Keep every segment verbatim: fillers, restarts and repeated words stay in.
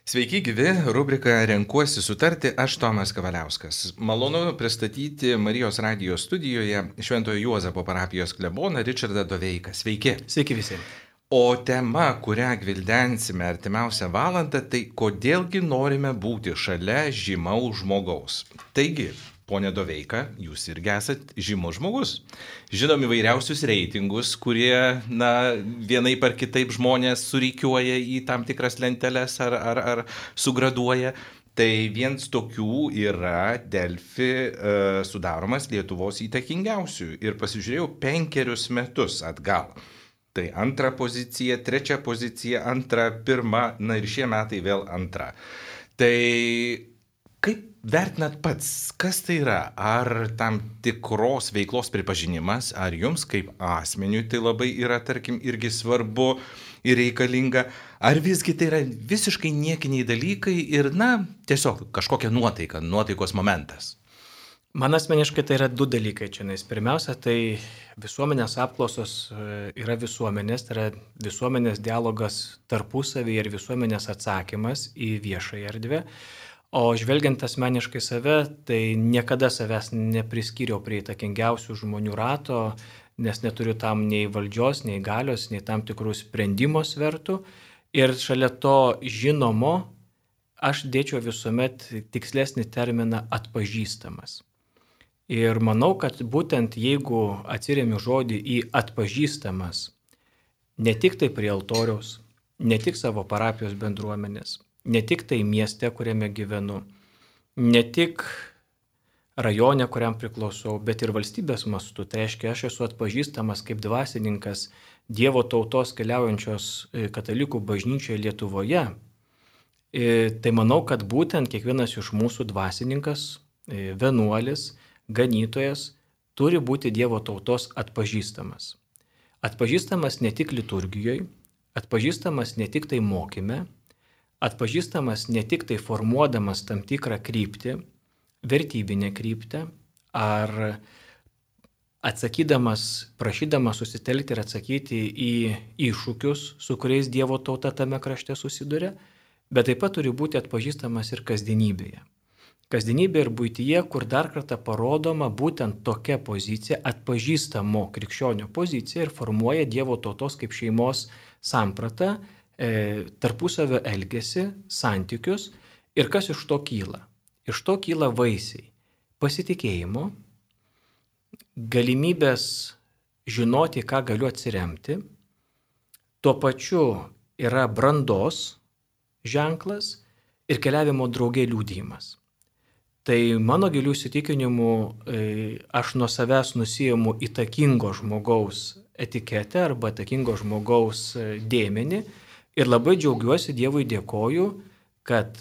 Sveiki gyvi, rubrika Renkuosi sutarti, aš Tomas Kavaliauskas. Malonu pristatyti Marijos radijos studijoje Šventojo Juozapo parapijos kleboną Ričardą Doveiką. Sveiki. Sveiki visi. O tema, kurią gvildensime artimiausią valandą, tai kodėlgi norime būti šalia žymaus žmogaus. Taigi, ponė Doveika, jūs irgi esat žymus žmogus. Žinom įvairiausius reitingus, kurie, na, vienaip ar kitaip žmonės surikiuoja į tam tikras lenteles ar, ar, ar sugraduoja. Tai vienas tokių yra Delfi e, sudaromas Lietuvos įtakingiausių. Ir pasižiūrėjau penkerius metus atgal. Tai antra pozicija, trečia pozicija, antra, pirma, na ir šie metai vėl antra. Tai kaip vertinat pats, kas tai yra? Ar tam tikros veiklos pripažinimas, ar jums kaip asmeniui tai labai yra, tarkim, irgi svarbu ir reikalinga, ar visgi tai yra visiškai niekiniai dalykai ir, na, tiesiog kažkokia nuotaika, nuotaikos momentas? Man asmeniškai tai yra du dalykai čia. Pirmiausia, tai visuomenės apklausos yra visuomenės, tai yra visuomenės dialogas tarpusavį ir visuomenės atsakymas į viešąją erdvę. O žvelgiant asmeniškai save, tai niekada savęs nepriskyriau prie įtakingiausių žmonių rato, nes neturiu tam nei valdžios, nei galios, nei tam tikrų sprendimo svertų. Ir šalia to žinomo aš dėčiau visuomet tikslesnį terminą atpažįstamas. Ir manau, kad būtent jeigu atsiremiu žodį į atpažįstamas, ne tik tai prie altoriaus, ne tik savo parapijos bendruomenės, ne tik tai mieste, kuriame gyvenu, ne tik rajone, kuriam priklausau, bet ir valstybės mastu. Tai reiškia, aš esu atpažįstamas kaip dvasininkas Dievo tautos keliaujančios katalikų bažnyčioje Lietuvoje. Tai manau, kad būtent kiekvienas iš mūsų dvasininkas, vienuolis, ganytojas turi būti Dievo tautos atpažįstamas. Atpažįstamas ne tik liturgijoje, atpažįstamas ne tik tai mokyme, atpažįstamas ne tik tai formuodamas tam tikrą kryptį, vertybinę kryptį, ar atsakydamas, prašydamas susitelkti ir atsakyti į iššūkius, su kuriais Dievo tauta tame krašte susiduria, bet taip pat turi būti atpažįstamas ir kasdienybėje. Kasdienybė ir buityje, kur dar kartą parodoma būtent tokia pozicija, atpažįstamo krikščionio pozicija ir formuoja Dievo tautos kaip šeimos sampratą, e, tarpusavio elgesį, santykius. Ir kas iš to kyla? Iš to kyla vaisiai pasitikėjimo, galimybės žinoti, ką galiu atsiremti, tuo pačiu yra brandos ženklas ir keliavimo drauge liudijimas. Tai mano gilių įsitikinimų aš nuo savęs nusiimu įtakingo žmogaus etiketę arba įtakingo žmogaus dėmenį ir labai džiaugiuosi, Dievui dėkoju, kad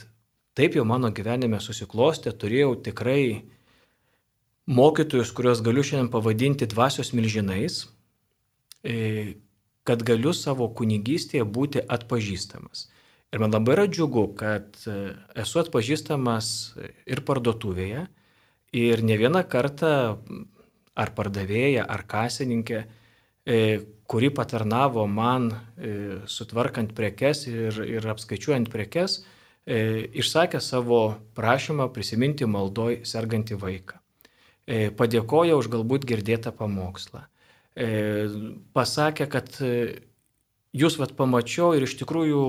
taip jau mano gyvenime susiklostė, turėjau tikrai mokytojus, kuriuos galiu šiandien pavadinti dvasios milžinais, kad galiu savo kunigystėje būti atpažįstamas. Ir man labai yra džiugu, kad esu atpažįstamas ir parduotuvėje, ir ne vieną kartą ar pardavėja, ar kasininkė, kuri patarnavo man sutvarkant prekes ir, ir apskaičiuojant prekes, išsakė savo prašymą prisiminti maldoj sergantį vaiką. Padėkojo už galbūt girdėtą pamokslą. Pasakė, kad jūs vat pamačiau ir iš tikrųjų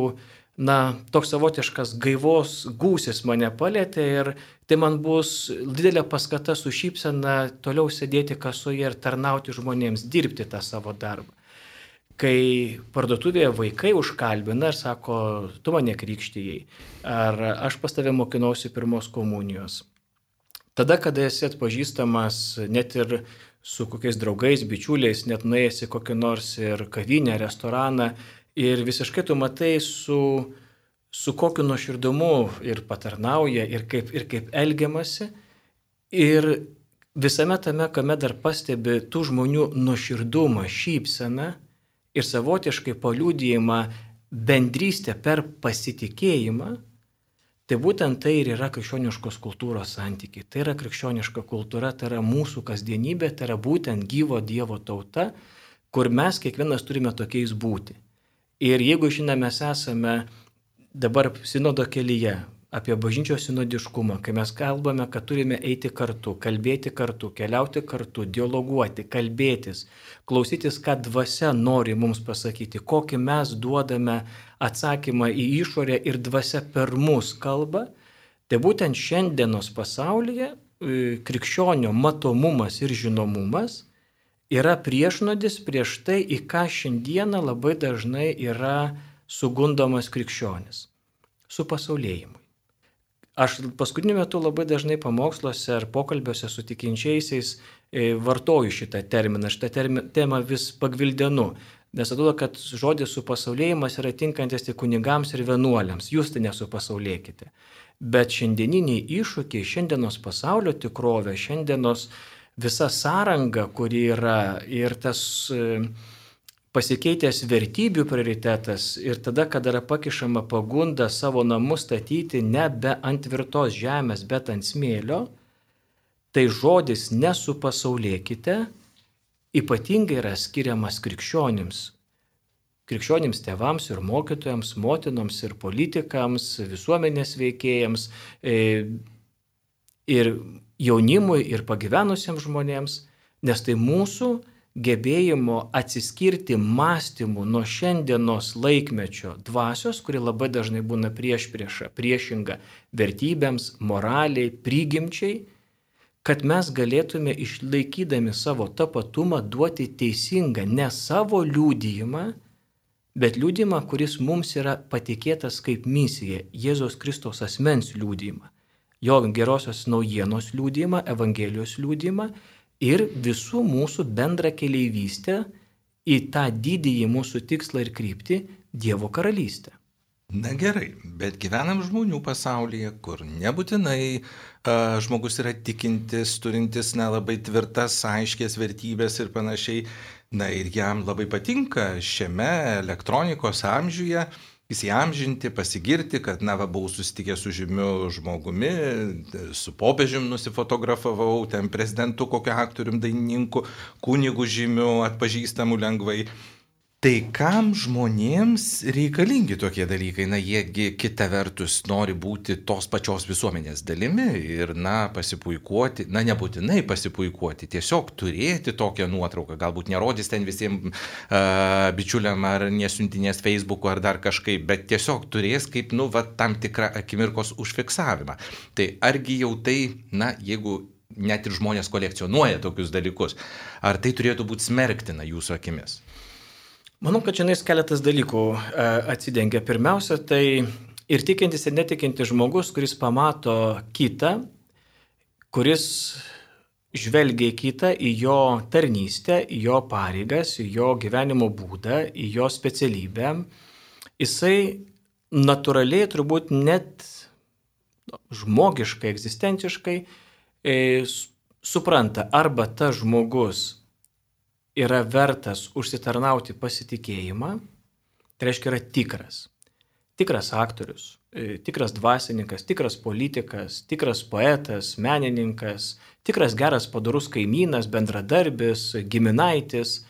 na, toks savotiškas gaivos gūsis mane palėtė ir tai man bus didelė paskata su šypsena toliau sėdėti kasoje ir tarnauti žmonėms, dirbti tą savo darbą. Kai parduotuvėje vaikai užkalbina ir sako, tu mane krikštijai, ar aš pas tave mokinausi pirmos komunijos. Tada, kada esi atpažįstamas net ir su kokiais draugais, bičiuliais, net nuėjęs į kokį nors ir kavinę, restoraną, ir visiškai tu matai, su, su kokiu nuoširdumu ir patarnauja, ir kaip, ir kaip elgiamasi. Ir visame tame, kame dar pastebi tų žmonių nuoširdumą, šypseną ir savotiškai paliudijimą bendrystę per pasitikėjimą, tai būtent tai ir yra krikščioniškos kultūros santykiai. Tai yra krikščioniška kultūra, tai yra mūsų kasdienybė, tai yra būtent gyvo Dievo tauta, kur mes kiekvienas turime tokiais būti. Ir jeigu šiandien mes esame dabar sinodo kelyje, apie bažnyčios sinodiškumą, kai mes kalbame, kad turime eiti kartu, kalbėti kartu, keliauti kartu, dialoguoti, kalbėtis, klausytis, ką dvasia nori mums pasakyti, kokį mes duodame atsakymą į išorę ir dvasia per mus kalba, tai būtent šiandienos pasaulyje krikščionio matomumas ir žinomumas yra priešnodis prieš tai, į ką šiandieną labai dažnai yra sugundomas krikščionis - su pasaulėjimu. Aš paskutiniu metu labai dažnai pamoksluose ar pokalbiuose su tikinčiaisiais vartoju šitą terminą, šitą termi, temą vis pagvildenu, nes atrodo, kad žodis supasaulėjimas yra tinkantis tik kunigams ir vienuoliams, jūs tai nesupasaulėkite. Bet šiandieniniai iššūkiai, šiandienos pasaulio tikrovė, šiandienos visa sąranga, kuri yra ir tas pasikeitęs vertybių prioritetas ir tada, kada yra pakišama pagunda savo namus statyti nebe ant tvirtos žemės, bet ant smėlio, tai žodis nesupasaulėkite ypatingai yra skiriamas krikščionims. Krikščionims tėvams ir mokytojams, motinoms ir politikams, visuomenės veikėjams ir jaunimui ir pagyvenusiems žmonėms, nes tai mūsų gebėjimo atsiskirti mąstymu nuo šiandienos laikmečio dvasios, kuri labai dažnai būna prieš priešą, priešinga vertybėms, moraliai, prigimčiai, kad mes galėtume išlaikydami savo tapatumą duoti teisingą ne savo liudijimą, bet liudijimą, kuris mums yra patikėtas kaip misija, Jėzaus Kristaus asmens liudijimą, jo gerosios naujienos liudijimą, Evangelijos liudijimą, ir visų mūsų bendrą keleivystę į tą didįjį mūsų tikslą ir kryptį Dievo karalystę. Na gerai, bet gyvenam žmonių pasaulyje, kur nebūtinai uh, žmogus yra tikintis, turintis nelabai tvirtas, aiškės vertybės ir panašiai. Na ir jam labai patinka šiame elektronikos amžiuje įsiamžinti, pasigirti, kad na va buvau susitikęs su žymiu žmogumi, su popiežium nusifotografavau, ten prezidentu, kokiu aktorium, dainininku, kunigu žymiu, atpažįstamu lengvai. Tai kam žmonėms reikalingi tokie dalykai? Na, jiegi kita vertus nori būti tos pačios visuomenės dalimi ir, na, pasipuikuoti, na, nebūtinai pasipuikuoti, tiesiog turėti tokią nuotrauką, galbūt nerodys ten visiems uh, bičiuliam ar nesiuntinės Facebook'u ar dar kažkaip, bet tiesiog turės kaip, nu, va, tam tikrą akimirkos užfiksavimą. Tai argi jau tai, na, jeigu net ir žmonės kolekcionuoja tokius dalykus, ar tai turėtų būti smerktina jūsų akimis? Manau, kad šiandien keletas dalykų atsidengia. Pirmiausia, tai ir tikintis ir netikintis žmogus, kuris pamato kitą, kuris žvelgia į kitą, į jo tarnystę, į jo pareigas, į jo gyvenimo būdą, į jo specialybę, jisai natūraliai turbūt net žmogiškai, egzistenciškai e, supranta, arba tas žmogus yra vertas užsitarnauti pasitikėjimą, tai reiškia yra tikras. Tikras aktorius, tikras dvasininkas, tikras politikas, tikras poetas, menininkas, tikras geras padorus kaimynas, bendradarbis, giminaitis,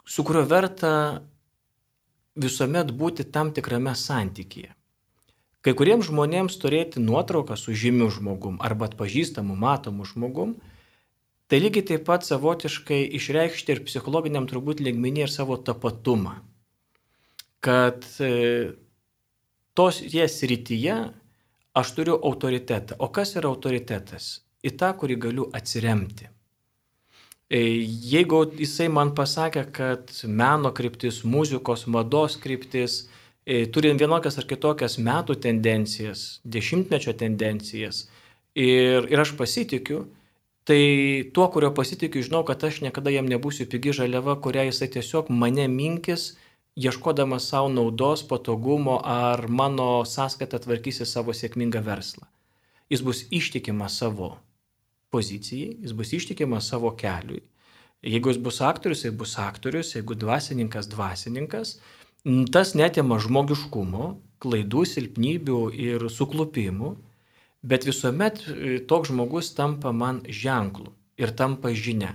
su kuriuo verta visuomet būti tam tikrame santykyje. Kai kuriems žmonėms turėti nuotrauką su žymiu žmogum arba atpažįstamu, matomu žmogum, tai lygiai taip pat savotiškai išreikšti ir psichologiniam turbūt lygmenį ir savo tapatumą. Kad e, tos jie srityje aš turiu autoritetą. O kas yra autoritetas? Į tą, kurį galiu atsiremti. E, jeigu jisai man pasakė, kad meno kryptis, muzikos, mados kryptis, e, turi vienokias ar kitokias metų tendencijas, dešimtmečio tendencijas ir, ir aš pasitikiu, tai tuo, kurio pasitikiu, žinau, kad aš niekada jam nebūsiu pigi žaliava, kurią jisai tiesiog mane minkis, ieškodamas savo naudos, patogumo ar mano sąskaitą tvarkysi savo sėkmingą verslą. Jis bus ištikimas savo pozicijai, jis bus ištikimas savo keliui. Jeigu jis bus aktorius, jis bus aktorius, jeigu dvasininkas, dvasininkas, tas netima žmogiškumo, klaidų, silpnybių ir suklupimų. Bet visuomet toks žmogus tampa man ženklu ir tampa žinia.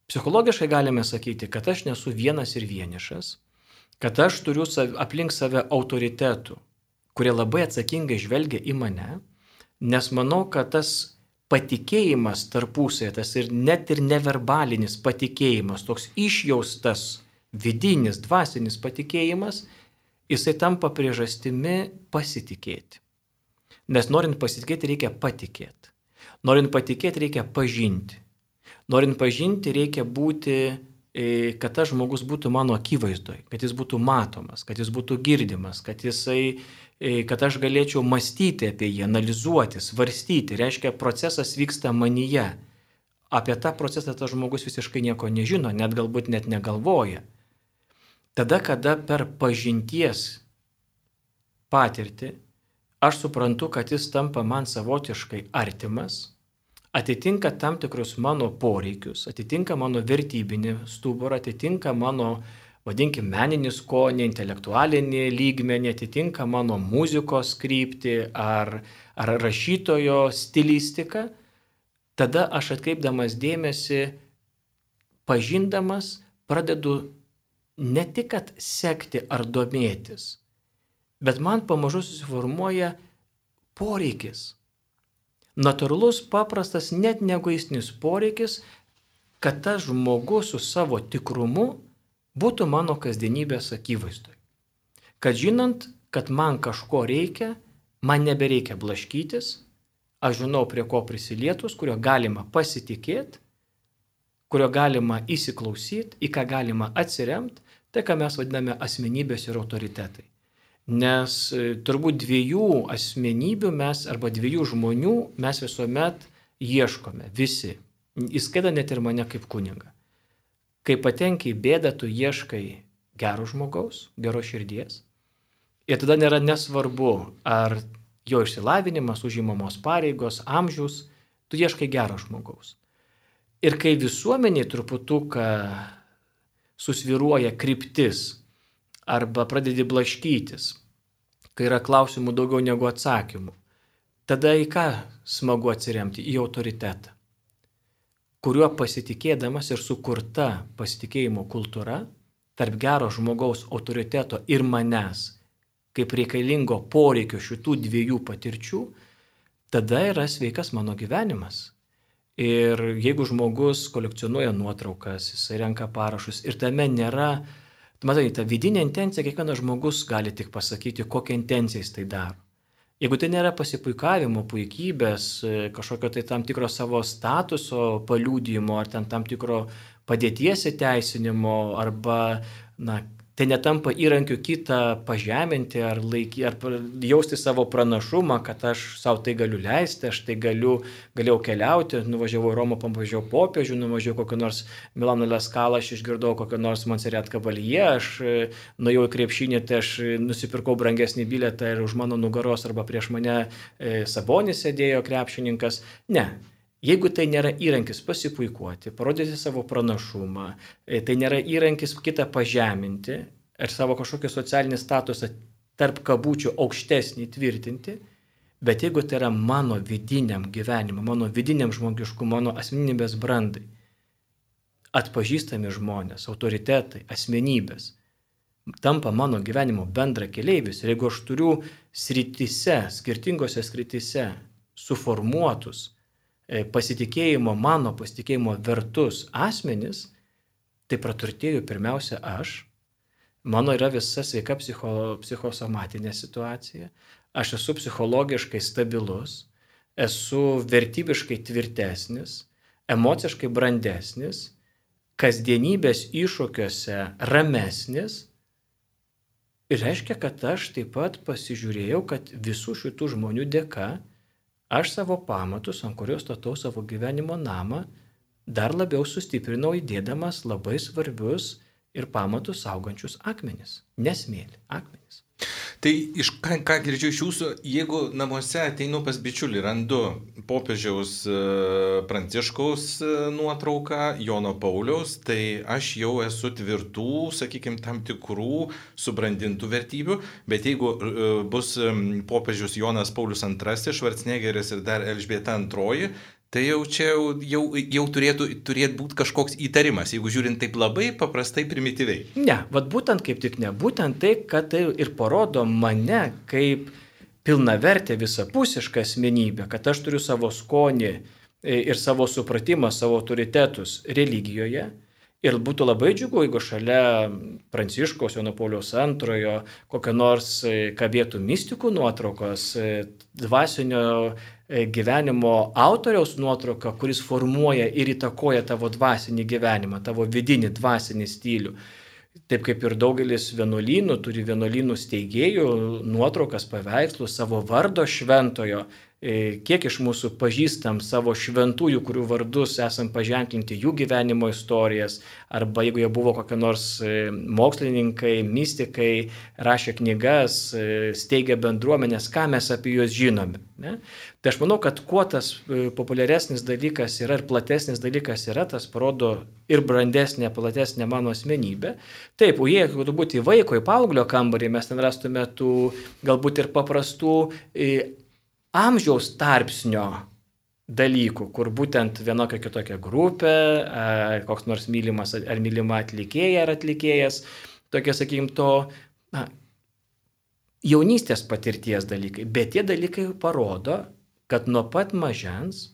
Psichologiškai galime sakyti, kad aš nesu vienas ir vienišas, kad aš turiu aplink save autoritetų, kurie labai atsakingai žvelgia į mane, nes manau, kad tas patikėjimas tarpusėje, tas ir net ir neverbalinis patikėjimas, toks išjaustas vidinis, dvasinis patikėjimas, jisai tampa priežastimi pasitikėti. Nes norint pasitikėti, reikia patikėti. Norint patikėti, reikia pažinti. Norint pažinti, reikia būti, kad tas žmogus būtų mano akivaizdoj, kad jis būtų matomas, kad jis būtų girdimas, kad, jisai, kad aš galėčiau mąstyti apie jį, analizuoti, svarstyti. Reiškia, procesas vyksta manyje. Apie tą procesą tas žmogus visiškai nieko nežino, net galbūt net negalvoja. Tada, kada per pažinties patirtį aš suprantu, kad jis tampa man savotiškai artimas, atitinka tam tikrus mano poreikius, atitinka mano vertybinį stuburą, atitinka mano, vadinkim, meninį skonį, intelektualinį lygmenį, atitinka mano muzikos kryptį ar, ar rašytojo stilistiką, tada aš atkreipdamas dėmesį, pažindamas, pradedu ne tik kad sekti ar domėtis, bet man pamažu susiformuoja poreikis. Natūralus, paprastas, net neegoistinis poreikis, kad tas žmogus su savo tikrumu būtų mano kasdienybės akivaizdoj. Kad žinant, kad man kažko reikia, man nebereikia blaškytis, aš žinau, prie ko prisilietus, kurio galima pasitikėti, kurio galima įsiklausyti, į ką galima atsiremti, tai ką mes vadiname asmenybės ir autoritetai. Nes turbūt dviejų asmenybių mes arba dviejų žmonių mes visuomet ieškome, visi, įskaitant net ir mane kaip kunigą. Kai patenki į bėdą, tu ieškai gero žmogaus, geros širdies. Ir tada nėra nesvarbu, ar jo išsilavinimas, užimamos pareigos, amžius, tu ieškai gero žmogaus. Ir kai visuomeniai truputuką susviruoja kryptis arba pradedi blaškytis, kai yra klausimų daugiau negu atsakymų, tada į ką smagu atsiremti? Į autoritetą, kuriuo pasitikėdamas ir sukurta pasitikėjimo kultūra tarp gero žmogaus autoriteto ir manęs, kaip reikalingo poreikio šitų dviejų patirčių, tada yra sveikas mano gyvenimas. Ir jeigu žmogus kolekcionuoja nuotraukas, jisai renka parašus ir tame nėra, matai, ta vidinė intencija, kiekvienas žmogus gali tik pasakyti, kokią intenciją jis tai daro. Jeigu tai nėra pasipuikavimo, puikybės, kažkokio tai tam tikro savo statuso paliudijimo, ar ten tam tikro padėties įteisinimo, arba, na, tai netampa įrankiu kitą pažeminti, ar, laiky, ar jausti savo pranašumą, kad aš savo tai galiu leisti, aš tai galiu, galėjau keliauti, nuvažiavau į Romą, pamažiau popiežių, nuvažiavau kokį nors Milano Leskalą, aš išgirdau kokį nors Montserrat Caballé, aš nuėjau į krepšinį, tai aš nusipirkau brangesnį bilietą ir už mano nugaros arba prieš mane e, Sabonis sėdėjo krepšininkas. Ne. Jeigu tai nėra įrankis pasipuikuoti, parodyti savo pranašumą, tai nėra įrankis kitą pažeminti ar savo kažkokį socialinį statusą tarp kabučių aukštesnį tvirtinti, bet jeigu tai yra mano vidiniam gyvenimui, mano vidiniam žmogiškumui, mano asmenybės brandai, atpažįstami žmonės, autoritetai, asmenybės, tampa mano gyvenimo bendra keleivis. Ir jeigu aš turiu srityse, skirtingose srityse suformuotus pasitikėjimo, mano pasitikėjimo vertus asmenis, tai praturtėjau pirmiausia aš, mano yra visa sveika psicho, psichosomatinė situacija, aš esu psichologiškai stabilus, esu vertybiškai tvirtesnis, emociškai brandesnis, kasdienybės iššūkiuose ramesnis, ir reiškia, kad aš taip pat pasižiūrėjau, kad visų šitų žmonių dėka aš savo pamatus, ant kurios statau savo gyvenimo namą, dar labiau sustiprinau įdėdamas labai svarbius ir pamatus saugančius akmenis. Nesmėlį, akmenis. Tai iš ką, ką girdžiu iš jūsų, jeigu namuose ateinu pas bičiulį, randu popiežiaus Pranciškaus nuotrauką, Jono Pauliaus, tai aš jau esu tvirtų, sakykime, tam tikrų subrandintų vertybių, bet jeigu bus popiežius Jonas Paulius antrasis, Švarcnegeris ir dar Elžbieta antroji, Tai jau čia jau, jau, jau turėtų, turėtų būti kažkoks įtarimas, jeigu žiūrint taip labai paprastai, primityviai. Ne, vad būtent kaip tik ne, būtent tai, kad tai ir parodo mane kaip pilnavertę visapusišką asmenybę, kad aš turiu savo skonį ir savo supratimą, savo autoritetus religijoje. Ir būtų labai džiugu, jeigu šalia Pranciškaus Jono Pauliaus antrojo kokio nors kabėtų mistikų nuotraukos, dvasinio gyvenimo autoriaus nuotrauka, kuris formuoja ir įtakoja tavo dvasinį gyvenimą, tavo vidinį dvasinį stilių. Taip kaip ir daugelis vienuolynų turi vienuolynų steigėjų nuotraukas, paveikslų savo vardo šventojo. Kiek iš mūsų pažįstam savo šventųjų, kurių vardus esam paženklinti jų gyvenimo istorijas, arba jeigu jie buvo kokie nors mokslininkai, mystikai, rašė knygas, steigė bendruomenės, ką mes apie juos žinome. Ne? Tai aš manau, kad kuo tas populiaresnis dalykas yra ir platesnis dalykas yra, tas parodo ir brandesnė, platesnė mano asmenybė. Taip, o jei turbūt į vaiko, į paauglio kambarį mes ten rastume tų galbūt ir paprastų amžiaus tarpsnio dalykų, kur būtent vienokia kitokia grupė, koks nors mylimas ar mylima atlikėja ar atlikėjas, tokie, sakykim, to na, jaunystės patirties dalykai. Bet tie dalykai parodo, kad nuo pat mažens,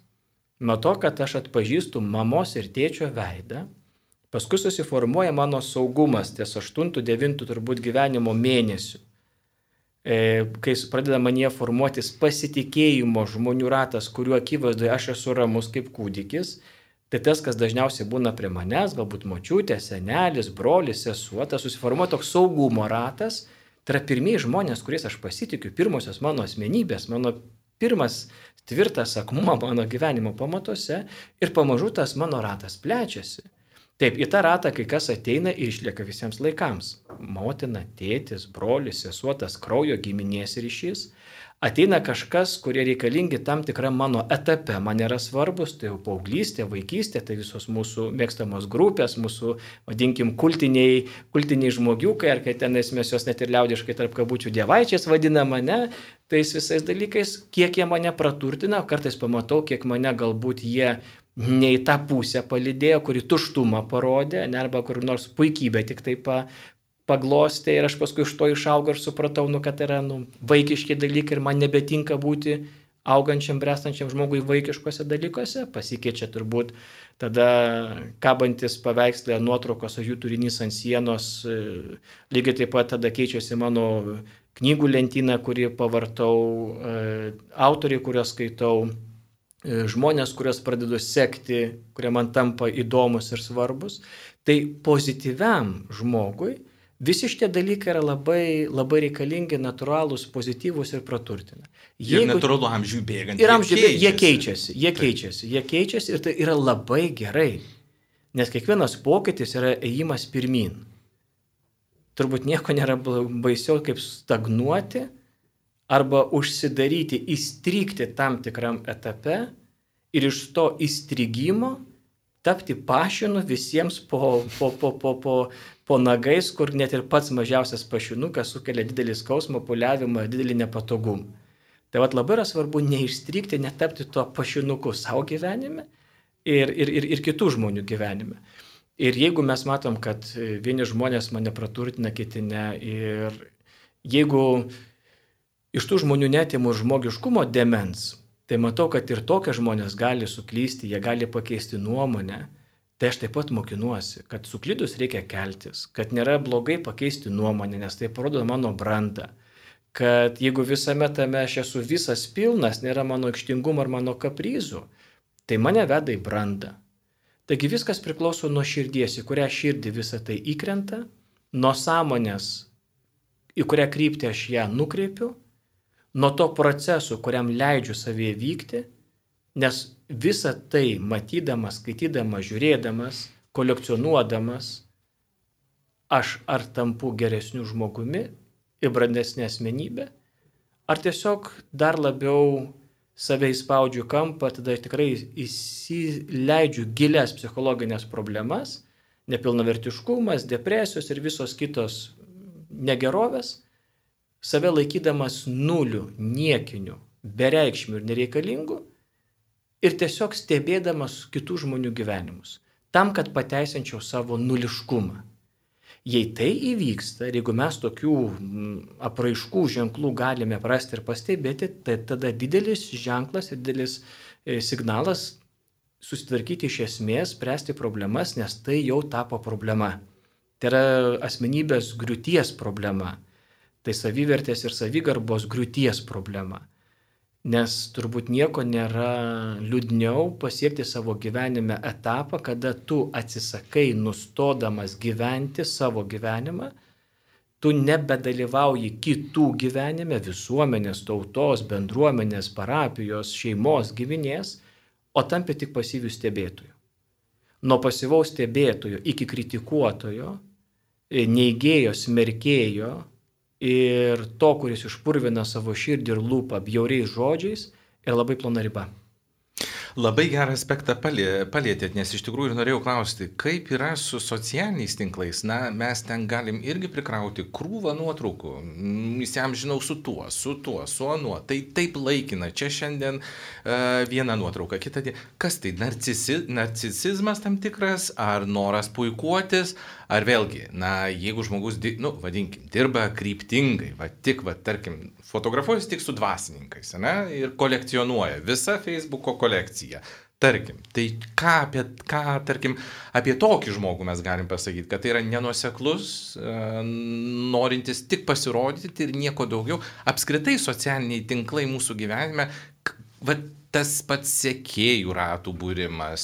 nuo to, kad aš atpažįstu mamos ir tėčio veidą, paskui susiformuoja mano saugumas ties aštuntų, devintų turbūt gyvenimo mėnesių. Kai pradeda manyje formuotis pasitikėjimo žmonių ratas, kuriuo akivaizdoje aš esu ramus kaip kūdikis, tai tas, kas dažniausiai būna prie manęs, galbūt močiutė, senelis, brolis, sesuo, tas susiformuoja toks saugumo ratas, tai yra pirmieji žmonės, kuriais aš pasitikiu, pirmosios mano asmenybės, mano pirmas tvirtas akmuo mano gyvenimo pamatuose ir pamažu tas mano ratas plečiasi. Taip, į tą ratą kai kas ateina ir išlieka visiems laikams. Motina, tėtis, brolis, sesuo, tas kraujo giminės ryšys. Ateina kažkas, kurie reikalingi tam tikram mano etape, man yra svarbus, tai jau paauglystė, vaikystė, tai visos mūsų mėgstamos grupės, mūsų, vadinkim, kultiniai, kultiniai žmogiukai, ar kai tenais mes jos net ir liaudiškai tarp kabučių dievaičiais vadinama, ne, tais visais dalykais, kiek jie mane praturtina, kartais pamatau, kiek mane galbūt jie ne į tą pusę palydėjo, kuri tuštumą parodė, ne, arba kur nors puikybę tik taip pa, paglostė ir aš paskui iš to išaugau ir supratau, nu, kad yra nu, vaikiški dalykai ir man nebetinka būti augančiam, brestančiam žmogui vaikiškose dalykuose. Pasikeičia turbūt tada kabantis paveikslė nuotraukos, o jų turinys ant sienos, lygiai taip pat tada keičiasi mano knygų lentyna, kurį pavartau, autoriai, kuriuos skaitau, žmonės, kuriuos pradedu sekti, kurie man tampa įdomus ir svarbus. Tai pozityviam žmogui visi šitie dalykai yra labai, labai reikalingi, natūralūs, pozityvūs ir praturtina. Jeigu, ir natūralu amžių bėgant. Ir amžių bėgant, jie keičiasi, jie keičiasi, jie keičiasi ir tai yra labai gerai. Nes kiekvienas pokytis yra ėjimas pirmin. Turbūt nieko nėra baisiau kaip stagnuoti arba užsidaryti, įstrigti tam tikram etape ir iš to įstrigimo tapti pašinu visiems po, po, po, po, po, po nagais, kur net ir pats mažiausias pašinukas sukelia didelį skausmą, puliavimą, didelį nepatogumą. Tai vat labai yra svarbu neišstrigti, netapti tuo pašinuku savo gyvenime ir, ir, ir, ir kitų žmonių gyvenime. Ir jeigu mes matom, kad vieni žmonės mane praturtina, kiti ne, ir jeigu iš tų žmonių netimu žmogiškumo demens, tai matau, kad ir tokie žmonės gali suklysti, jie gali pakeisti nuomonę. Tai aš taip pat mokinuosi, kad suklydus reikia keltis, kad nėra blogai pakeisti nuomonę, nes tai parodo mano brandą. Kad jeigu visame tame aš esu visas pilnas, nėra mano aikštingumo ar mano kaprizų, tai mane veda į brandą. Taigi viskas priklauso nuo širdies, į kurią širdį visą tai įkrenta, nuo sąmonės, į kurią kryptį aš ją nukreipiu, nuo to proceso, kuriam leidžiu savyje vykti, nes visą tai matydamas, skaitydamas, žiūrėdamas, kolekcionuodamas, aš ar tampu geresniu žmogumi ir brandesnė asmenybė, ar tiesiog dar labiau save įspaudžiu kampą, tada tikrai įsileidžiu gilias psichologinės problemas, nepilnavertiškumas, depresijos ir visos kitos negerovės, save laikydamas nuliu, niekiniu, bereikšmiu ir nereikalingu, ir tiesiog stebėdamas kitų žmonių gyvenimus, tam, kad pateisinčiau savo nuliškumą. Jei tai įvyksta ir jeigu mes tokių apraiškų ženklų galime rasti ir pastebėti, tai tada didelis ženklas ir didelis signalas susitvarkyti iš esmės, spręsti problemas, nes tai jau tapo problema. Tai yra asmenybės griūties problema. Tai savivertės ir savigarbos griūties problema. Nes turbūt nieko nėra liūdniau pasiekti savo gyvenime etapą, kada tu atsisakai nustodamas gyventi savo gyvenimą, tu nebedalyvauji kitų gyvenime, visuomenės, tautos, bendruomenės, parapijos, šeimos, giminės, o tampi tik pasyvių stebėtojų. Nuo pasyvaus stebėtojo iki kritikuotojo, neigėjo, smerkėjo ir to, kuris išpurvina savo širdį ir lūpą bjauriais žodžiais, yra labai plona riba. Labai gerą aspektą palietėt, nes iš tikrųjų ir norėjau klausti, kaip yra su socialiniais tinklais. Na, mes ten galim irgi prikrauti krūvą nuotraukų. Jam žinau su tuo, su tuo, su anuo. Tai taip laikina. Čia šiandien uh, viena nuotrauka, kita diena. Kas tai? Narcisi, narcisizmas tam tikras, ar noras puikuotis, ar vėlgi, na, jeigu žmogus, nu, vadinkim, dirba kryptingai, va tik, va, tarkim, fotografuojas tik su dvasininkais, ne, ir kolekcionuoja visą Facebooko kolekciją. Tarkim, tai ką apie, ką, tarkim, apie tokį žmogų mes galim pasakyti, kad tai yra nenuoseklus, norintis tik pasirodyti ir nieko daugiau. Apskritai socialiniai tinklai mūsų gyvenime, va, tas pats sekėjų ratų būrimas,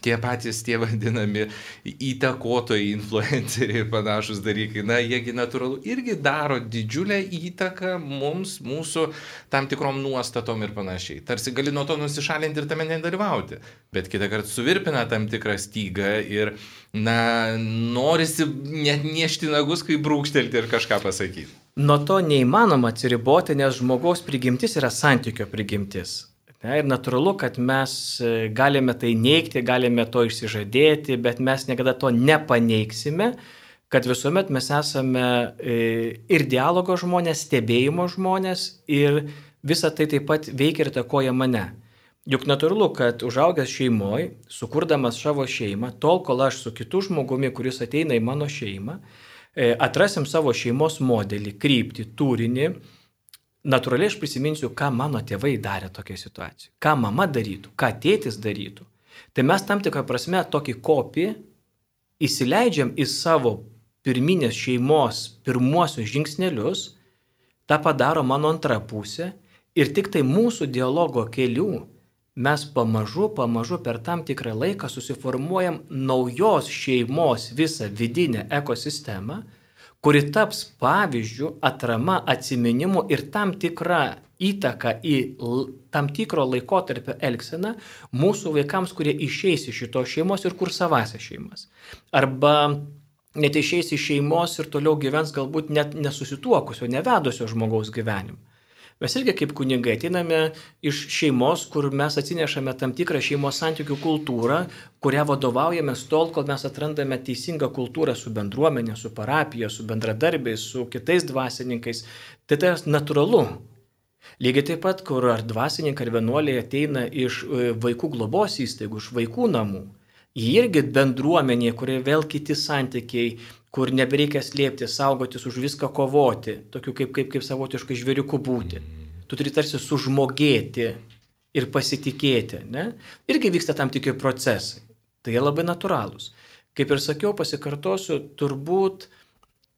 tie patys tie vadinami įtakotojai, influenceriai ir panašus dalykai, na, jiegi natūralu irgi daro didžiulę įtaką mums, mūsų tam tikrom nuostatom ir panašiai. Tarsi gali nuo to nusišalinti ir tame nedalyvauti, bet kitą kartą suvirpina tam tikrą stygą ir, na, norisi net niešti nagus, kai brūkštelti ir kažką pasakyti. Nuo to neįmanoma atsiriboti, nes žmogaus prigimtis yra santykio prigimtis. Ir natūralu, kad mes galime tai neigti, galime to išsižadėti, bet mes niekada to nepaneigsime, kad visuomet mes esame ir dialogo žmonės, stebėjimo žmonės ir visa tai taip pat veikia ir takoja mane. Juk natūralu, kad užaugęs šeimoje, sukurdamas savo šeimą, tol kol aš su kitu žmogumi, kuris ateina į mano šeimą, atrasim savo šeimos modelį, kryptį, turinį, natūraliai aš prisiminsiu, ką mano tėvai darė tokiai situacijai, ką mama darytų, ką tėtis darytų. Tai mes tam tikrą prasme tokį kopį įsileidžiam į savo pirminės šeimos pirmuosius žingsnelius, tą padaro mano antra pusė ir tik tai mūsų dialogo kelių mes pamažu, pamažu per tam tikrą laiką susiformuojam naujos šeimos visą vidinę ekosistemą, kuri taps pavyzdžių, atrama, atsiminimu ir tam tikrą įtaką į tam tikro laikotarpio elgseną mūsų vaikams, kurie išeis iš šitos šeimos ir kur savasias šeimas. Arba net išeis iš šeimos ir toliau gyvens galbūt net nesusituokusio, nevedusio žmogaus gyvenimą. Mes irgi kaip kunigai ateiname iš šeimos, kur mes atsinešame tam tikrą šeimos santykių kultūrą, kurią vadovaujamės tol, kol mes atrandame teisingą kultūrą su bendruomenė, su parapija, su bendradarbiais, su kitais dvasininkais. Tai tai natūralu. Lygiai taip pat, kur ar dvasininkai, ar vienuoliai ateina iš vaikų globos įstaigų, iš vaikų namų. Jie irgi bendruomenė, kurie vėl kiti santykiai, kur nebereikia slėpti, saugotis, už viską kovoti, tokiu kaip, kaip, kaip savotiškai žvėriuku būti. Tu turi tarsi sužmogėti ir pasitikėti. Ne? Irgi vyksta tam tikri procesai. Tai jie labai natūralūs. Kaip ir sakiau, pasikartosiu, turbūt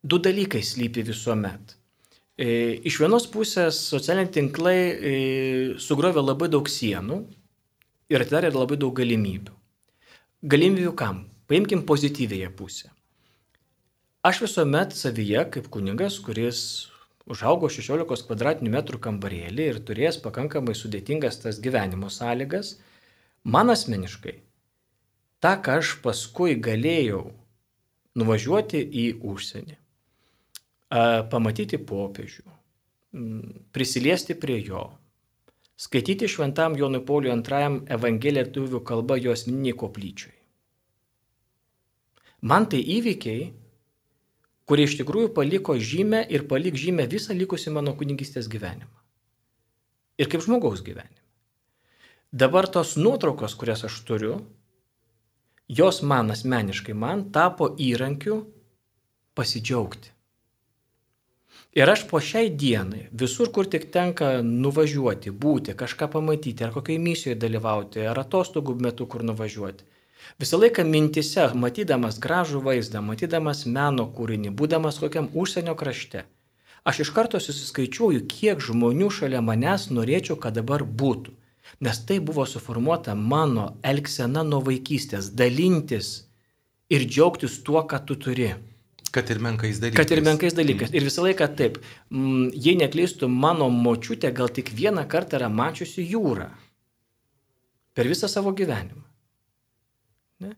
du dalykai slypi visuomet. E, iš vienos pusės socialiniai tinklai e, sugrovė labai daug sienų ir atidarė labai daug galimybių. Galimybių kam? Paimkim pozityvėje pusę. Aš visuomet savyje, kaip kunigas, kuris užaugo šešiolikos kvadratinių metrų kambarėlį ir turės pakankamai sudėtingas tas gyvenimo sąlygas, man asmeniškai, tą, ką aš paskui galėjau nuvažiuoti į užsienį, pamatyti popiežių, prisiliesti prie jo, skaityti šventam Jonui Pauliui antrajam Evangeliją lietuvių kalba jo asmeniniai koplyčioj. Man tai įvykiai, kurie iš tikrųjų paliko žymę ir palik žymę visą likusį mano kunigystės gyvenimą. Ir kaip žmogaus gyvenimą. Dabar tos nuotraukos, kurias aš turiu, jos man asmeniškai, man tapo įrankiu pasidžiaugti. Ir aš po šiai dienai, visur, kur tik tenka nuvažiuoti, būti, kažką pamatyti, ar kokiai misijoje dalyvauti, ar atostogų metu kur nuvažiuoti, visą laiką mintise, matydamas gražų vaizdą, matydamas meno kūrinį, būdamas kokiam užsienio krašte, aš iš karto susiskaičiuoju, kiek žmonių šalia manęs norėčiau, kad dabar būtų. Nes tai buvo suformuota mano elgsena nuo vaikystės, dalintis ir džiaugtis tuo, ką tu turi. Kad ir menkais dalykais. Kad ir menkais dalykais. Ir visą laiką taip, m, jei neklystų, mano močiutė gal tik vieną kartą yra mačiusi jūrą. Per visą savo gyvenimą. Ne?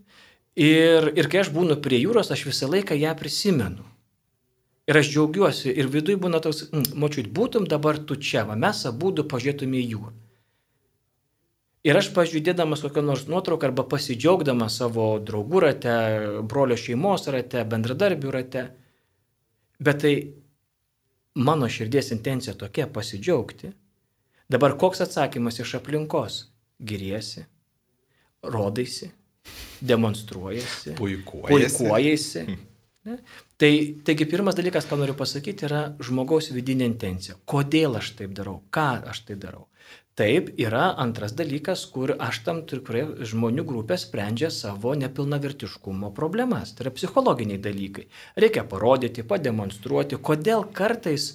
Ir, ir kai aš būnu prie jūros, aš visą laiką ją prisimenu. Ir aš džiaugiuosi. Ir viduj būna toks, močiut, būtum dabar tu čia, va, mes abudu pažiūrėtume į jūrą. Ir aš pažiūrėdamas kokią nors nuotrauką arba pasidžiaugdamas savo draugų rate, brolio šeimos rate, bendradarbių rate. Bet tai mano širdies intencija tokia pasidžiaugti. Dabar koks atsakymas iš aplinkos? Giriesi, rodaisi, demonstruojasi, puikuojasi. puikuojasi. Ne? Tai, taigi pirmas dalykas, ką noriu pasakyti, yra žmogaus vidinė intencija. Kodėl aš taip darau? Ką aš tai darau? Taip, yra antras dalykas, kur aš tam tikrai žmonių grupė sprendžia savo nepilnavertiškumo problemas. Tai yra psichologiniai dalykai. Reikia parodyti, pademonstruoti, kodėl kartais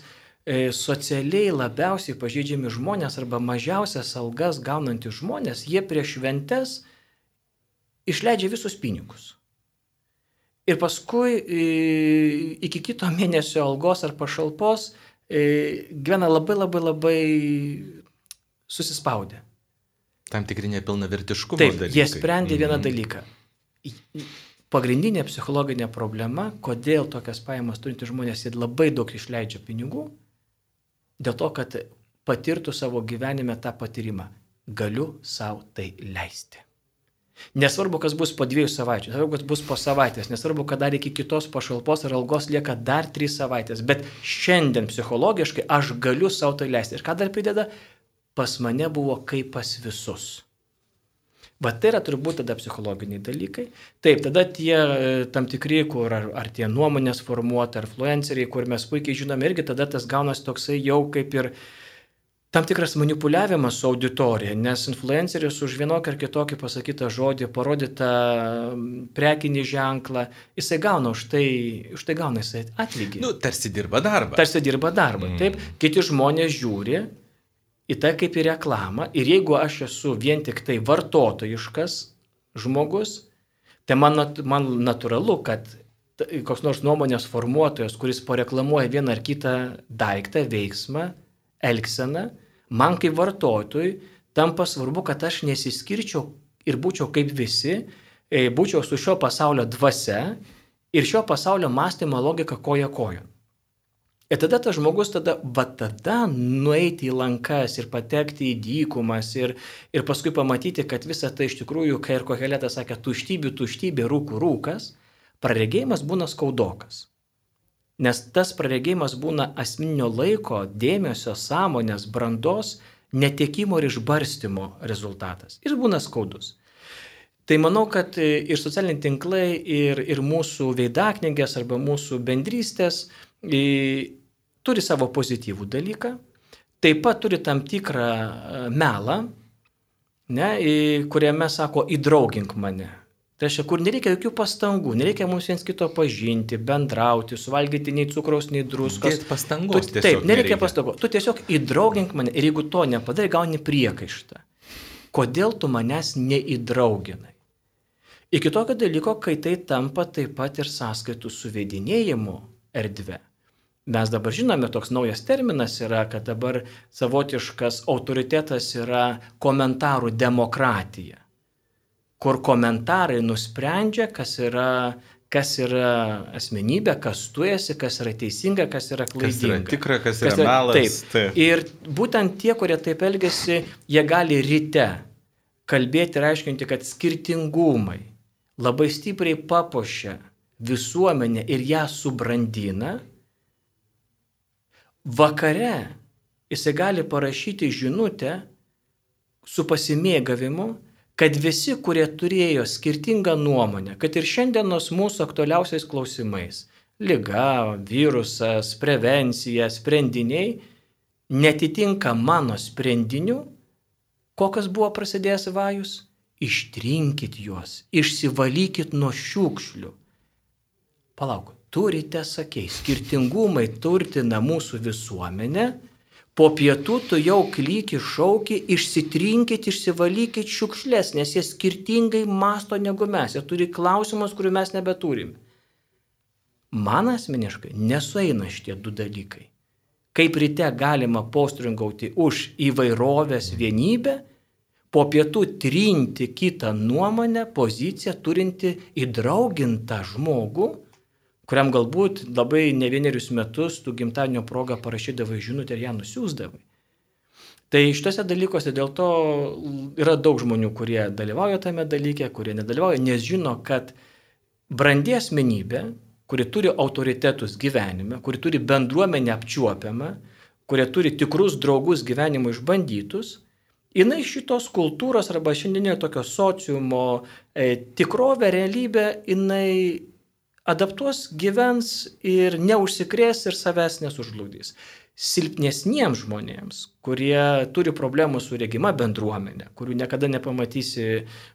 e, socialiai labiausiai pažeidžiami žmonės arba mažiausias algas gaunantys žmonės, jie prieš šventes išleidžia visus pinigus. Ir paskui e, iki kito mėnesio algos ar pašalpos e, gyvena labai labai labai susispaudę. Tam tikri nepilnavertiškumo Taip, dalykai. Jie sprendė vieną Mhm. dalyką. Pagrindinė psichologinė problema, kodėl tokias pajamas turintys žmonės jie labai daug išleidžia pinigų, dėl to, kad patirtų savo gyvenime tą patyrimą. Galiu savo tai leisti. Nesvarbu, kas bus po dviejų savaičių, nesvarbu, kas bus po savaitės, nesvarbu, kad dar iki kitos pašalpos ar algos lieka dar trys savaitės, bet šiandien psichologiškai aš galiu savo tai leisti. Ir ką dar prideda? Pas mane buvo kaip pas visus. Bet tai yra turbūt tada psichologiniai dalykai. Taip, tada tie tam tikri, kur ar, ar tie nuomonės formuoti, ar influenceriai, kur mes puikiai žinome, irgi tada tas gaunasi toksai jau kaip ir tam tikras manipuliavimas su auditorija, nes influenceris už vienokį ar kitokį pasakytą žodį, parodytą prekinį ženklą, jisai gauna už tai, už tai gauna jisai atlygį. Nu, tarsi dirba darbą. Tarsi dirba darbą. Mm. Taip, kiti žmonės žiūri į tai kaip į reklamą ir jeigu aš esu vien tik tai vartotojiškas žmogus, tai man, man natūralu, kad koks nors nuomonės formuotojas, kuris pareklamuoja vieną ar kitą daiktą, veiksmą, elgseną, man kaip vartotojui tampa svarbu, kad aš nesiskirčiau ir būčiau kaip visi, būčiau su šio pasaulio dvasia ir šio pasaulio mąstymo logika koja kojon. Ir tada tas žmogus tada, va tada nueiti į lankas ir patekti į dykumas ir, ir paskui pamatyti, kad visa tai iš tikrųjų, kai ir Koheletas sakė, tuštybė, tuštybė, rūkų rūkas, praregėjimas būna skaudokas. Nes tas praregėjimas būna asmeninio laiko, dėmesio, sąmonės, brandos, netekimo ir išbarstymo rezultatas. Ir būna skaudus. Tai manau, kad ir socialiniai tinklai, ir, ir mūsų veidaknygės arba mūsų bendrystės turi savo pozityvų dalyką, taip pat turi tam tikrą melą, ne, kuriame sako įdraugink mane. Tai reiškia, kur nereikia jokių pastangų, nereikia mums viens kito pažinti, bendrauti, suvalgyti nei cukraus, nei druskos. Dėt pastangos tu, taip, nereikia pastangų. Tu tiesiog įdraugink mane ir jeigu to nepadarai, gauni priekaištą. Kodėl tu manęs neįdrauginai? Iki tokio dalyko, kai tai tampa taip pat ir sąskaitų suvedinėjimo erdvė. Mes dabar žinome, toks naujas terminas yra, kad dabar savotiškas autoritetas yra komentarų demokratija, kur komentarai nusprendžia, kas yra, kas yra asmenybė, kas tu esi, kas yra teisinga, kas yra klaidinga. Kas yra tikra, kas, kas yra, yra melas. Taip. Taip. Ir būtent tie, kurie taip elgesi, jie gali ryte kalbėti ir aiškinti, kad skirtingumai labai stipriai papuošia visuomenę ir ją subrandina. Vakare jisai gali parašyti žinutę, su pasimėgavimu, kad visi, kurie turėjo skirtingą nuomonę, kad ir šiandienos mūsų aktualiausiais klausimais - liga, virusas, prevencija, sprendiniai - netitinka mano sprendinių, kokias buvo prasidėjęs vajus, ištrinkit juos, išsivalykit nuo šiukšlių. Palauk, turite, sakei, skirtingumai turtina mūsų visuomenę, po pietų tu jau klyki, šauki, išsitrinkit, išsivalykit šiukšlės, nes jie skirtingai masto negu mes, jie turi klausimus, kurių mes nebeturime. Man asmeniškai nesueina šitie du dalykai. Kaip ryte galima postringauti už įvairovės vienybę, po pietų trinti kitą nuomonę, poziciją, turinti įdraugintą žmogų, kuriam galbūt labai ne vienerius metus tu gimtadienio progą parašydavai žinutę ir ją nusiųsdavai. Tai šitose dalykuose dėl to yra daug žmonių, kurie dalyvauja tame dalyke, kurie nedalyvauja, nes žino, kad brandi asmenybė, kuri turi autoritetus gyvenime, kuri turi bendruomenę apčiuopiamą, kurie turi tikrus draugus gyvenimo išbandytus, jinai šitos kultūros arba šiandienio tokio sociumo e, tikrovę, realybę, jinai adaptuos, gyvens ir neužsikrės ir savęs nesužlugdys. Silpnesniems žmonėms, kurie turi problemų su regima bendruomenė, kurių niekada nepamatysi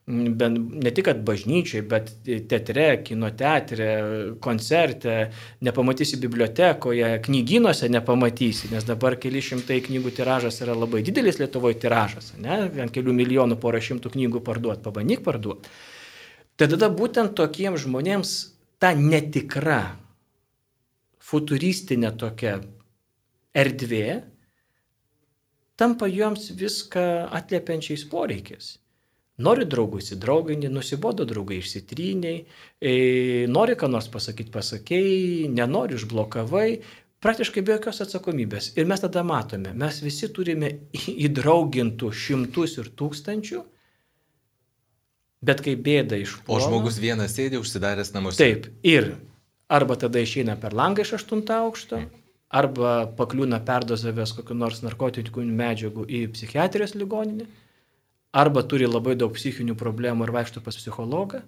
ne tik bažnyčiai, bet teatre, kino teatre, koncerte, nepamatysi bibliotekoje, knygynuose nepamatysi, nes dabar keli šimtai knygų tiražas yra labai didelis Lietuvoje tiražas, ne? Ant kelių milijonų porą šimtų knygų parduot, pabandyk parduot. Tai tada būtent tokiems žmonėms ta netikra, futuristinė tokia erdvė tampa joms viską atliepiančiais poreikiais. Nori draugų įsidrauginti, nusibodo draugai išsitryniai, e, nori ką nors pasakyti, pasakėjai, nenori išblokavai, praktiškai be jokios atsakomybės. Ir mes tada matome, mes visi turime įdraugintų šimtus ir tūkstančių, bet kai bėda išpuola. O žmogus vienas sėdi užsidaręs namuose. Taip, ir arba tada išeina per langą iš aštunto aukšto, arba pakliūna perdozavęs kokių nors narkotinių medžiagų į psichiatrijos ligoninę, arba turi labai daug psichinių problemų ir vaikšto pas psichologą.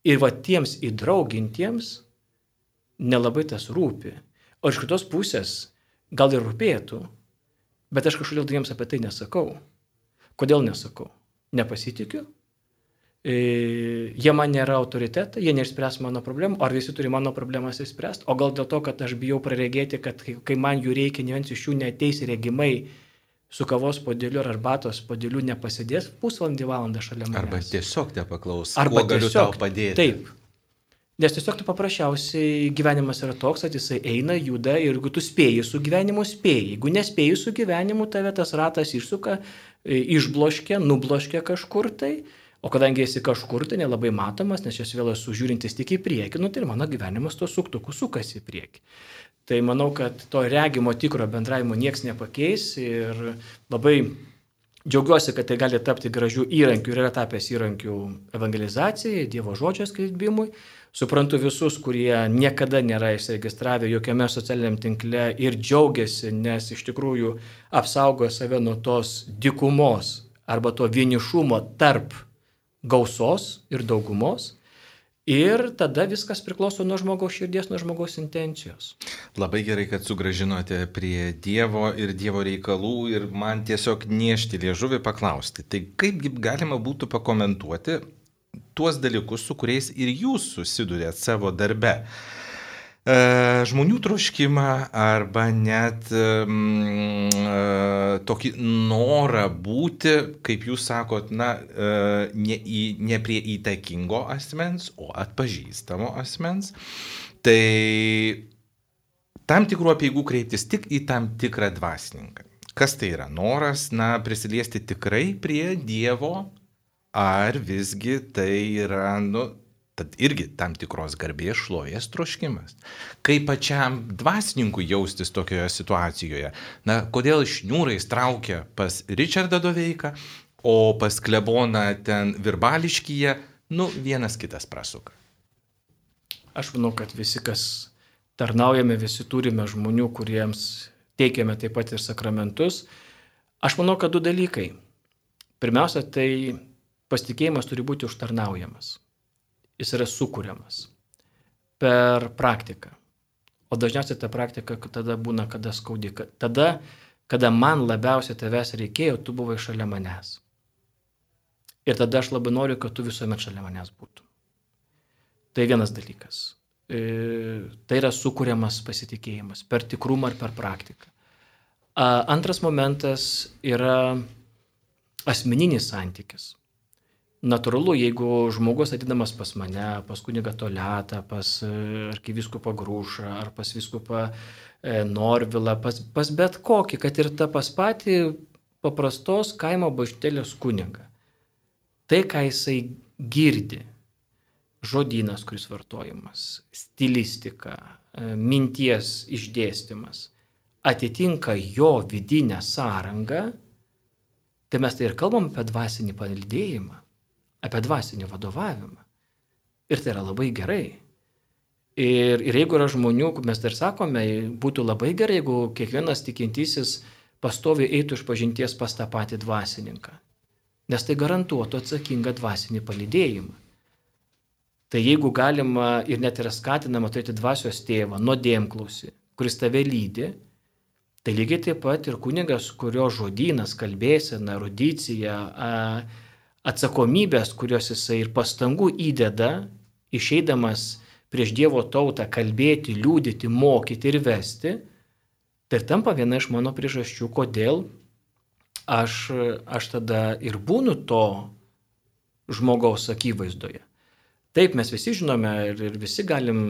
Ir va tiems įdraugintiems nelabai tas rūpi. O iš kitos pusės gal ir rūpėtų, bet aš kažkodėl jiems apie tai nesakau. Kodėl nesakau? Nepasitikiu. E, jie man nėra autoritetai, jie neišspręs mano problemų, ar visi turi mano problemas išspręsti, o gal dėl to, kad aš bijau praregėti, kad kai man jų reikia, ne vienas iš jų neateis regimai su kavos podėliu ar arbatos podėliu nepasidės pusvalandį valandą šalia manęs. Arba tiesiog nepaklaus, arba kuo galiu tiesiog, tau padėti. Taip. Nes tiesiog tu paprasčiausiai gyvenimas yra toks, kad jisai eina, juda ir jeigu tu spėjai su gyvenimu, spėjai. Jeigu nespėjai su gyvenimu, tave tas ratas išsuka, išbloškia, nubloškia kažkur tai. O kadangi esi kažkur tai nelabai matomas, nes aš vėl esu žiūrintis tik į priekį, nu tai mano gyvenimas to suktuku sukasi į priekį. Tai manau, kad to regimo tikro bendravimo nieks nepakeis ir labai džiaugiuosi, kad tai gali tapti gražių įrankių ir yra tapęs įrankių evangelizacijai, Dievo žodžio skelbimui. Suprantu visus, kurie niekada nėra įsiregistravę jokiame socialiniam tinkle ir džiaugiasi, nes iš tikrųjų apsaugoja save nuo tos dykumos arba to vienišumo tarp gausos ir daugumos. Ir tada viskas priklauso nuo žmogaus širdies, nuo žmogaus intencijos. Labai gerai, kad sugražinote prie Dievo ir Dievo reikalų ir man tiesiog niešti liežuvį paklausti. Tai kaipgi galima būtų pakomentuoti tuos dalykus, su kuriais ir jūs susidurėt savo darbe? E, žmonių troškimą arba net mm, e, tokį norą būti, kaip jūs sakot, na, e, ne, į, ne prie įtakingo asmens, o atpažįstamo asmens. Tai tam tikrų apeigų kreiptis tik į tam tikrą dvasininką. Kas tai yra? Noras, na, prisiliesti tikrai prie Dievo, ar visgi tai yra, nu, tad irgi tam tikros garbės šlovės troškimas. Kaip pačiam dvasininkui jaustis tokioje situacijoje? Na, kodėl šniūrais traukia pas Ričardą Doveiką, o pas kleboną ten Virbališkyje, nu, vienas kitas prasuka. Aš manau, kad visi, kas tarnaujame, visi turime žmonių, kuriems teikiame taip pat ir sakramentus. Aš manau, kad du dalykai. Pirmiausia, tai pasitikėjimas turi būti užtarnaujamas. Jis yra sukūriamas per praktiką. O dažniausiai ta praktika tada būna, kada skaudi. Tada, kada man labiausiai tavęs reikėjo, tu buvai šalia manęs. Ir tada aš labai noriu, kad tu visuomet šalia manęs būtum. Tai vienas dalykas. E, tai yra sukūriamas pasitikėjimas per tikrumą ir per praktiką. A, antras momentas yra asmeninis santykis. Natūralu, jeigu žmogus ateidamas pas mane, pas kunigą Toletą, pas arkivyskupą Grušą ar pas vyskupą Norvilą, pas, pas bet kokį, kad ir tą pas patį paprastos kaimo bažnytėlės kunigą. Tai, ką jisai girdi, žodynas, kuris vartojamas, stilistika, minties išdėstymas, atitinka jo vidinę sąrangą, tai mes tai ir kalbam apie dvasinį palydėjimą, apie dvasinį vadovavimą. Ir tai yra labai gerai. Ir, ir jeigu yra žmonių, mes dar sakome, būtų labai gerai, jeigu kiekvienas tikintysis pastoviai eitų iš pažinties pas tą patį dvasininką. Nes tai garantuotų atsakingą dvasinį palydėjimą. Tai jeigu galima ir net yra skatinama turėti dvasios tėvą, nuodėmklausį, kuris tave lydi, tai lygiai taip pat ir kunigas, kurio žodynas, kalbėsena, erudicija, atsakomybės, kurios jisai ir pastangų įdeda, išeidamas prieš Dievo tautą kalbėti, liūdyti, mokyti ir vesti, tai tampa viena iš mano priežasčių, kodėl aš, aš tada ir būnu to žmogaus akivaizdoje. Taip, mes visi žinome ir, ir visi galim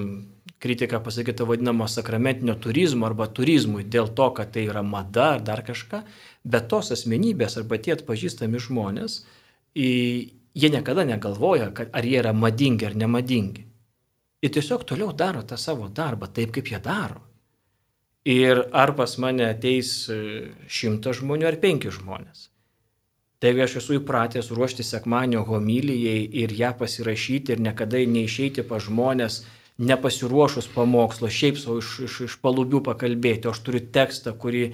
kritiką pasakyti vadinamo sakramentinio turizmo arba turizmui dėl to, kad tai yra mada ar dar kažką, bet tos asmenybės arba tie atpažįstami žmonės, jie niekada negalvoja, kad ar jie yra madingi ar nemadingi. Jie tiesiog toliau daro tą savo darbą taip, kaip jie daro. Ir ar pas mane ateis šimtas žmonių ar penki žmonės. Tai aš esu įpratęs ruošti sekmadienio homilijai ir ją pasirašyti ir niekada neišeiti pas žmonės, nepasiruošus pamokslo, šiaip savo iš, iš, iš palubių pakalbėti. Aš turiu tekstą, kurį e,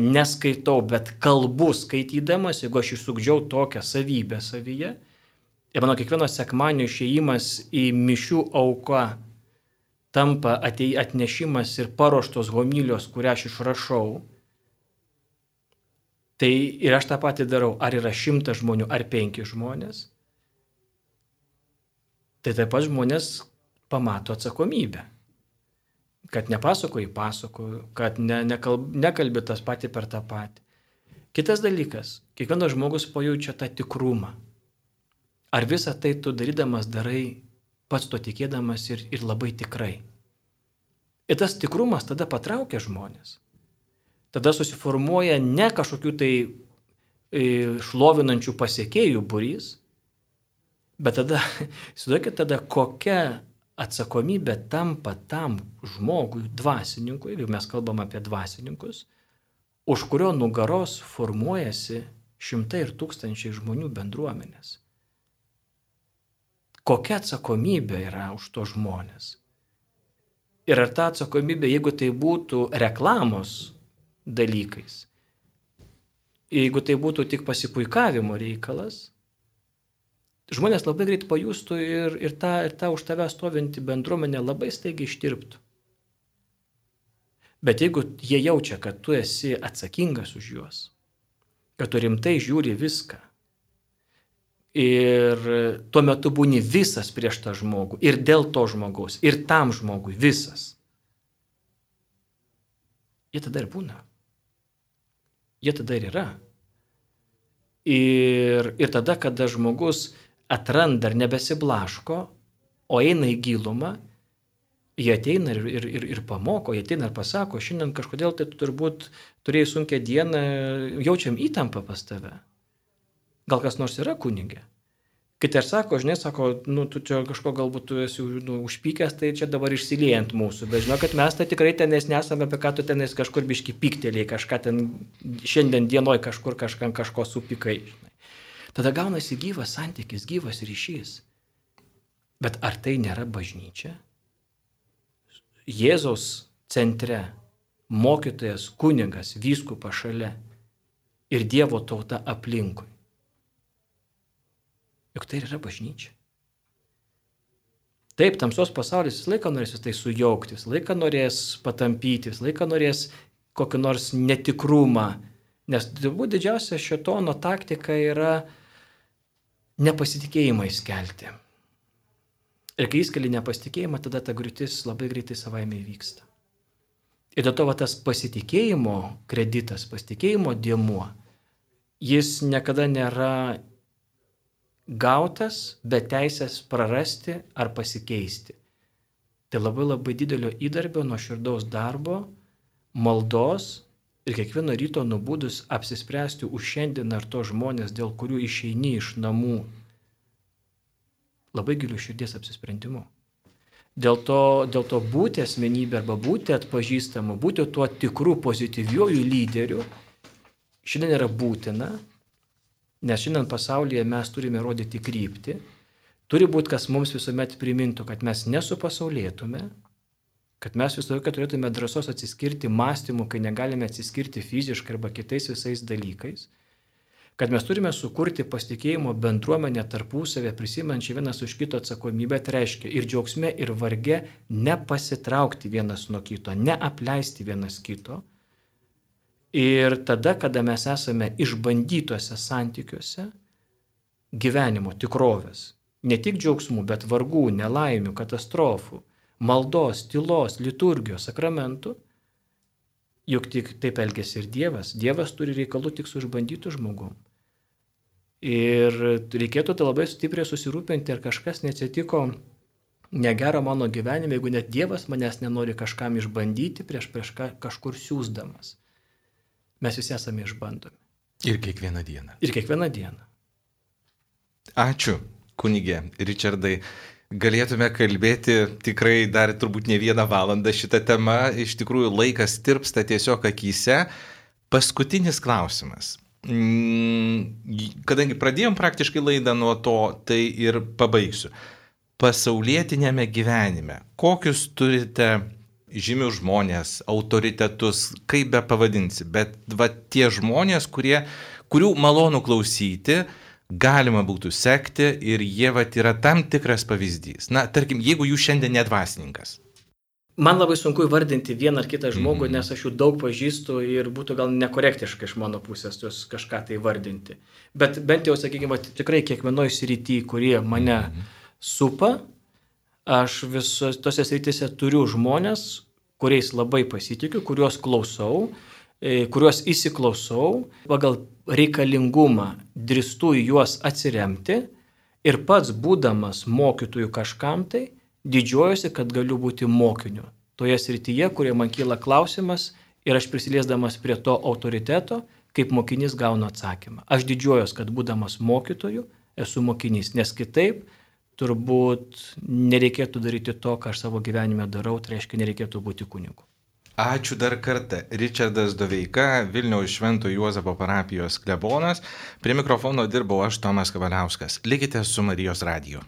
neskaitau, bet kalbu skaitydamas, jeigu aš išsugdžiau tokią savybę savyje. Ir mano kiekvieno sekmadienio išėjimas į mišių auką tampa atei, atnešimas ir paruoštos homilijos, kurią aš išrašau. Tai ir aš tą patį darau, ar yra šimtas žmonių, ar penki žmonės. Tai taip pat žmonės pamato atsakomybę. Kad nepasakoji, pasakoju, kad ne, nekalb, nekalbi tas patį per tą patį. Kitas dalykas, kiekvienas žmogus pajaučia tą tikrumą. Ar visą tai tu darydamas darai pats to tikėdamas ir, ir labai tikrai. Ir tas tikrumas tada patraukia žmonės. Tada susiformuoja ne kažkokių tai šlovinančių pasiekėjų būrys, bet tada, įsivaizduokit tada, kokia atsakomybė tampa tam žmogui, dvasininkui, jeigu mes kalbam apie dvasininkus, už kurio nugaros formuojasi šimtai ir tūkstančiai žmonių bendruomenės. Kokia atsakomybė yra už to žmonės? Ir ar ta atsakomybė, jeigu tai būtų reklamos dalykais, jeigu tai būtų tik pasipuikavimo reikalas, žmonės labai greit pajustų ir, ir, tą, ir tą už tave stovinti bendruomenė labai staigiai ištirptų. Bet jeigu jie jaučia, kad tu esi atsakingas už juos, kad tu rimtai žiūri viską ir tuo metu būni visas prieš tą žmogų ir dėl to žmogaus, ir tam žmogui visas, jie tada ir būna. Jie tada ir yra. Ir, ir tada, kada žmogus atranda ir nebesiblaško, o eina į gilumą, jie ateina ir, ir, ir, ir pamoko, jie ateina ir pasako, šiandien kažkodėl tai tu turbūt turėjai sunkią dieną, jaučiam įtampą pas tave. Gal kas nors yra kunigė? Kiti ir sako, žinai, sako, nu, tu čia kažko galbūt tu esi nu, užpykęs, tai čia dabar išsiliejant mūsų. Bet žinau, kad mes tai tikrai tenais nesame, apie ką tu tenais kažkur biški pyktelėjai, kažką ten šiandien dienoj kažkur kažkam kažko supykai. Žinai. Tada gaunasi gyvas santykis, gyvas ryšys. Bet ar tai nėra bažnyčia? Jėzaus centre, mokytojas, kunigas, vyskupas šalia ir Dievo tauta aplinkui. juk tai yra bažnyčia. Taip, tamsos pasaulis visą laiką norės tai sujaukti, visą laiką norės patampyti, visą laiką norės kokį nors netikrumą, nes turbūt didžiausia šėtono taktika yra nepasitikėjimą įskelti. Ir kai įskeli nepasitikėjimą, tada ta griūtis labai greitai savaime įvyksta. Ir dėl to va, tas pasitikėjimo kreditas, pasitikėjimo dėmuo, jis niekada nėra gautas, be teisės prarasti ar pasikeisti. Tai labai labai didelio įdarbio, nuoširdaus darbo, maldos ir kiekvieno ryto nubudus apsispręsti už šiandieną ar to žmonės, dėl kurių išeini iš namų, labai gilių širdies apsisprendimu. Dėl to, dėl to būti asmenybė arba būti atpažįstamu, būti tuo tikru pozityviuoju lyderiu, šiandien yra būtina, nes šiandien pasaulyje mes turime rodyti kryptį, turi būti, kas mums visuomet primintų, kad mes nesupasaulėtume, kad mes visą laiką turėtume drąsos atsiskirti mąstymu, kai negalime atsiskirti fiziškai arba kitais visais dalykais, kad mes turime sukurti pasitikėjimo bendruomenę tarpusavę, prisimenčią vienas už kito atsakomybę, tai reiškia ir džiaugsme, ir varge nepasitraukti vienas nuo kito, neapleisti vienas kito. Ir tada, kada mes esame išbandytuose santykiuose gyvenimo tikrovės, ne tik džiaugsmų, bet vargų, nelaimių, katastrofų, maldos, tylos, liturgijos, sakramentų, juk tik taip elgėsi ir Dievas. Dievas turi reikalų tik su išbandytu žmogum. Ir reikėtų tai labai stipriai susirūpinti, ar kažkas neatsitiko negero mano gyvenime, jeigu net Dievas manęs nenori kažkam išbandyti prieš, prieš kažkur siūsdamas. Mes visi esame išbandomi. Ir kiekvieną dieną. Ir kiekvieną dieną. Ačiū, kunigė Ričardai. Galėtume kalbėti tikrai dar turbūt ne vieną valandą šitą temą. Iš tikrųjų laikas tirpsta tiesiog akyse. Paskutinis klausimas. Kadangi pradėjom praktiškai laidą nuo to, tai ir pabaigsiu. Pasaulietinėme gyvenime, kokius turite žymius žmonės, autoritetus, kaip be pavadinsi, bet va tie žmonės, kurie, kurių malonu klausyti, galima būtų sekti ir jie vat yra tam tikras pavyzdys. Na, tarkim, jeigu jūs šiandien nedvasininkas. Man labai sunku įvardinti vieną ar kitą žmogų, Mhm. nes aš jų daug pažįstu ir būtų gal nekorektiška iš mano pusės juos kažką tai vardinti. Bet bent jau, sakykime, tikrai kiekvienoje srityje, kurie mane Mhm. supa, aš visos tose srityse turiu žmonės, kuriais labai pasitikiu, kuriuos klausau, e, kuriuos įsiklausau, pagal reikalingumą drįstu į juos atsiremti ir pats būdamas mokytojų kažkam tai, didžiuojuosi, kad galiu būti mokiniu. Toje srityje, kurie man kyla klausimas ir aš prisiliesdamas prie to autoriteto, kaip mokinys gauna atsakymą. Aš didžiuojuosi, kad būdamas mokytoju esu mokinys, nes kitaip turbūt nereikėtų daryti to, ką aš savo gyvenime darau, tai reiškia nereikėtų būti kunigu. Ačiū dar kartą. Ričardas Doveika, Vilniaus Švento Juozapo parapijos klebonas. Prie mikrofono dirbau aš, Tomas Kavaliauskas. Likite su Marijos radiju.